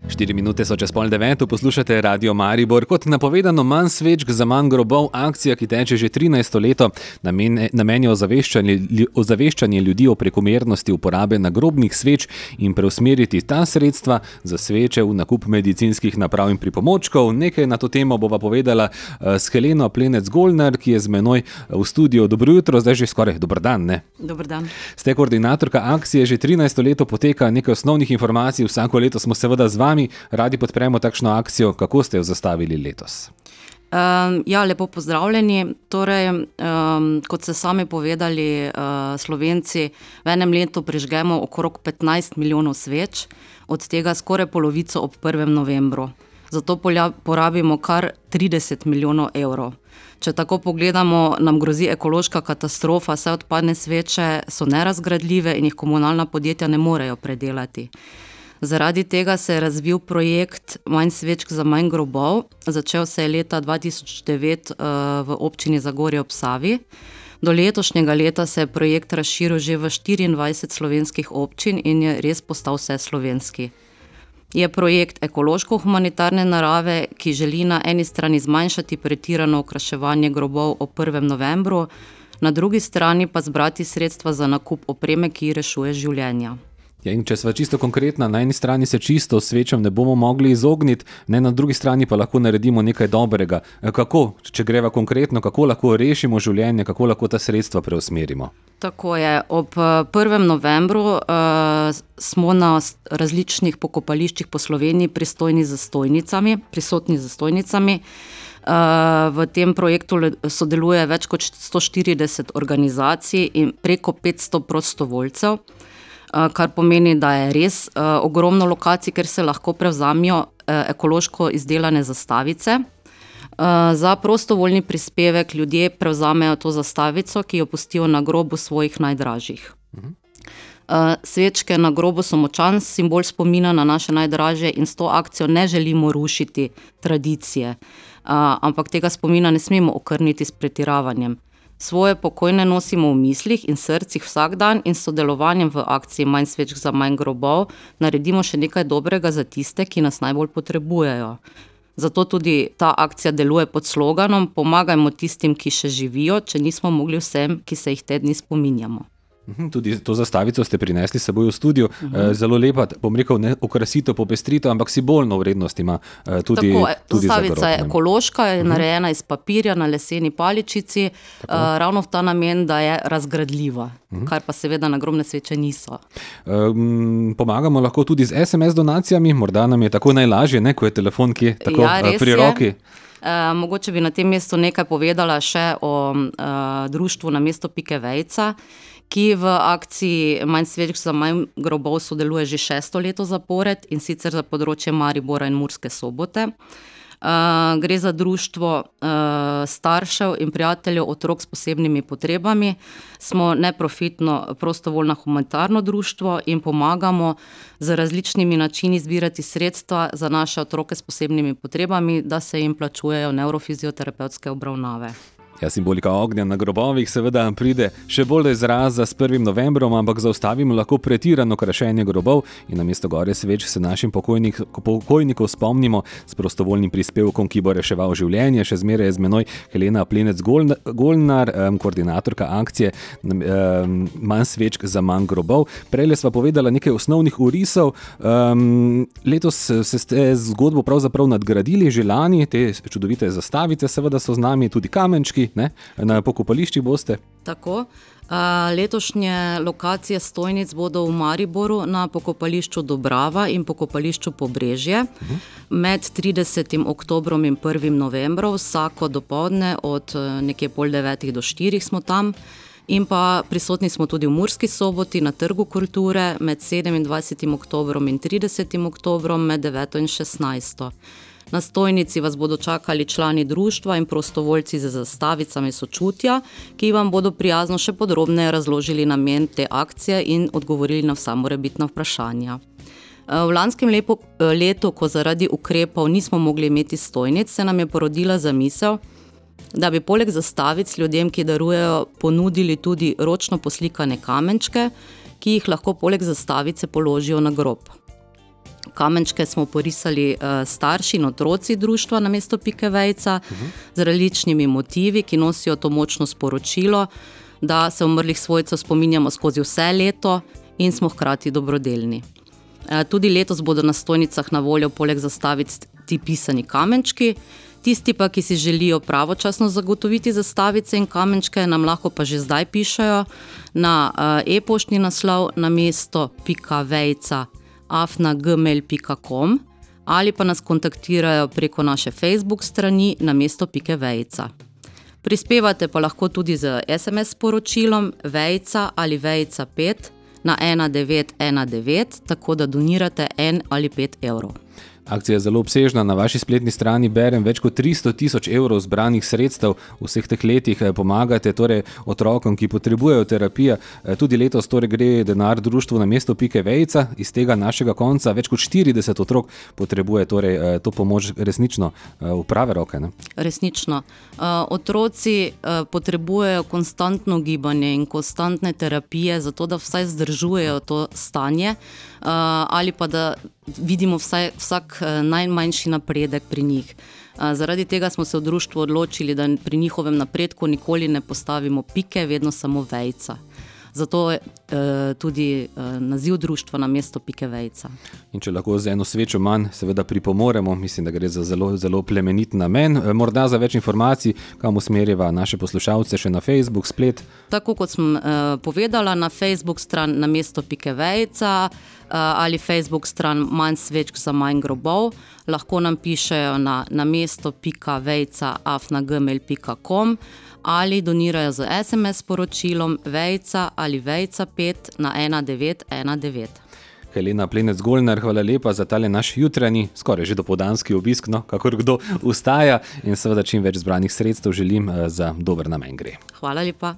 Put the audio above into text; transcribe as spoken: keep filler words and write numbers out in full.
Štiri minute so čez pol deveto, poslušate Radio Maribor. Kot napovedano, manj svečk za manj grobov, akcija, ki teče že trinajsto leto, namen, namen je ozaveščanje, ozaveščanje ljudi o prekomernosti uporabe nagrobnih sveč in preusmeriti ta sredstva za sveče v nakup medicinskih naprav in pripomočkov. Nekaj na to temo bova povedala s Heleno Plenec-Golnar, ki je z menoj v studiu. Dobro jutro, zdaj že skoraj dober dan, ne? Dober dan. Ste koordinatorka akcije, že trinajsto leto poteka, nekaj osnovnih informacij, vsako leto smo seveda z vami. Radi podpremo takšno akcijo. Kako ste jo zastavili letos? Um, ja, lepo pozdravljeni. Torej, um, kot ste sami povedali, uh, Slovenci v enem letu prižgemo okrog petnajst milijonov sveč, od tega skoraj polovico ob prvem novembru. Zato porabimo kar trideset milijonov evrov. Če tako pogledamo, nam grozi ekološka katastrofa, saj odpadne sveče so nerazgradljive in jih komunalna podjetja ne morejo predelati. Zaradi tega se je razvil projekt Manj svečk za manj grobov. Začel se je leta dva tisoč devet v občini Zagorje ob Savi. Do letošnjega leta se je projekt razširil že v štiriindvajset slovenskih občin in je res postal vseslovenski. Je projekt ekološko-humanitarne narave, ki želi na eni strani zmanjšati pretirano okraševanje grobov ob prvem novembru, na drugi strani pa zbrati sredstva za nakup opreme, ki rešuje življenja. Ja, in če sva čisto konkretna, na eni strani se čisto svečam ne bomo mogli izogniti, ne, na drugi strani pa lahko naredimo nekaj dobrega. Kako, če greva konkretno, kako lahko rešimo življenje, kako lahko ta sredstva preusmerimo? Tako je. Ob prvem novembru uh, smo na različnih pokopališčih po Sloveniji pristojni z stojnicami, prisotni z stojnicami. Uh, v tem projektu sodeluje več kot sto štirideset organizacij in preko petsto prostovoljcev. Kar pomeni, da je res uh, ogromno lokacij, kjer se lahko prevzamijo uh, ekološko izdelane zastavice. Uh, za prostovoljni prispevek ljudje prevzamejo to zastavico, ki jo pustijo na grobu svojih najdražjih. Uh, svečke na grobu so močan simbol spomina na naše najdražje in s to akcijo ne želimo rušiti tradicije, uh, ampak tega spomina ne smemo okrniti s pretiravanjem. Svoje pokojne nosimo v mislih in srcih vsak dan in s sodelovanjem v akciji Manj svečk za manj grobov naredimo še nekaj dobrega za tiste, ki nas najbolj potrebujejo. Zato tudi ta akcija deluje pod sloganom Pomagajmo tistim, ki še živijo, če nismo mogli vsem, ki se jih te dni spominjamo. Tudi to zastavico ste prinesli s seboj v studio. Uh-huh. Zelo lepa, bom rekel, ne okrasitev, popestritev, ampak simbolno vrednost ima tudi, Tako, tudi za grob. Zastavica je ekološka, je uh-huh. narejena iz papirja na leseni paličici, uh, ravno v ta namen, da je razgradljiva, uh-huh. kar pa seveda nagrobne sveče niso. Um, pomagamo lahko tudi z es em es donacijami, morda nam je tako najlažje, ne, ko je telefon kje tako ja, pri roki. Uh, mogoče bi na tem mestu nekaj povedala še o uh, društvu Namesto pike vejca, ki v akciji Manj svečk za manj grobov sodeluje že šesto leto zapored in sicer za področje Maribora in Murske Sobote. Uh, gre za društvo uh, staršev in prijateljev otrok s posebnimi potrebami. Smo neprofitno prostovoljno humanitarno društvo in pomagamo z različnimi načini zbirati sredstva za naše otroke s posebnimi potrebami, da se jim plačujejo neurofizioterapevtske obravnave. Ja, simbolika ognja na grobovih seveda pride še bolj do izraza s prvim novembrom, ampak zaustavimo lahko pretirano krašenje grobov in namesto gore sveč se našim pokojnik, pokojnikov spomnimo s prostovoljnim prispevkom, ki bo reševal življenje. Še zmeraj je z menoj Helena Plenec-Golnar, um, koordinatorka akcije um, Manj svečk za manj grobov. Prejle sva povedala nekaj osnovnih orisov. Um, letos se ste zgodbo pravzaprav nadgradili, že lani, te čudovite zastavice, seveda so z nami tudi kamenčki. Ne? Na pokopališčih boste? Tako. Letošnje lokacije stojnic bodo v Mariboru na pokopališču Dobrava in pokopališču Pobrežje. Uh-huh. Med tridesetim oktobrom in prvim novembrom, vsako dopoldne od nekje pol devetih do štirih smo tam. In pa prisotni smo tudi v Murski Soboti na Trgu kulture med sedemindvajsetim oktobrom in tridesetim oktobrom med deveto in šestnajsto. Na stojnici vas bodo čakali člani društva in prostovoljci za zastavicami sočutja, ki vam bodo prijazno še podrobneje razložili namen te akcije in odgovorili na vsa morebitna vprašanja. V lanskem lepo, letu, ko zaradi ukrepov nismo mogli imeti stojnic, se nam je porodila zamisel, da bi poleg zastavic ljudem, ki darujejo, ponudili tudi ročno poslikane kamenčke, ki jih lahko poleg zastavice položijo na grob. Kamenčke smo porisali starši in otroci društva namesto pike vejca uh-huh. z različnimi motivi, ki nosijo to močno sporočilo, da se umrlih svojcev spominjamo skozi vse leto in smo hkrati dobrodelni. Tudi letos bodo na stojnicah na voljo poleg zastaviti ti pisani kamenčki. Tisti pa, ki si želijo pravočasno zagotoviti zastavice in kamenčke, nam lahko pa že zdaj pišejo na e-poštni naslov namesto pika vejca afna gmail pika com ali pa nas kontaktirajo preko naše Facebook strani namesto pike vejca. Prispevate pa lahko tudi z es em es sporočilom vejca ali vejca pet na ena devet ena devet, tako da donirate en ali pet evrov. Akcija je zelo obsežna, na vaši spletni strani berem več kot tristo tisoč evrov zbranih sredstev v vseh teh letih, pomagate torej otrokom, ki potrebujejo terapijo. Tudi letos torej gre denar društvu namesto pike vejca, iz tega našega konca več kot štirideset otrok potrebuje torej to pomoč resnično v prave roke. Ne? Resnično. Otroci potrebujejo konstantno gibanje in konstantne terapije, zato da vsaj zdržujejo to stanje ali pa da vidimo vsaj, vsak najmanjši napredek pri njih. Zaradi tega smo se v društvu odločili, da pri njihovem napredku nikoli ne postavimo pike, vedno samo vejca. Zato je tudi naziv društva namesto pike vejca. In če lahko z eno svečo manj seveda pripomoremo, mislim, da gre za zelo, zelo plemenit namen. Morda za več informacij, kam usmerjava naše poslušalce še na Facebook, splet? Tako kot sem povedala, na Facebook stran namesto pike vejca ali Facebook stran manj svečk za manj grobov, lahko nam pišejo na namesto pika vejca afna gmail pika com ali donirajo z es em es sporočilom vejca ali vejca pet na ena devet ena devet. Helena Plenec-Golnar, hvala lepa za tale naš jutranji, skoraj že dopoldanski obisk, no, kakor kdo ustaja, in seveda čim več zbranih sredstev želim za dober namen gre. Hvala lepa.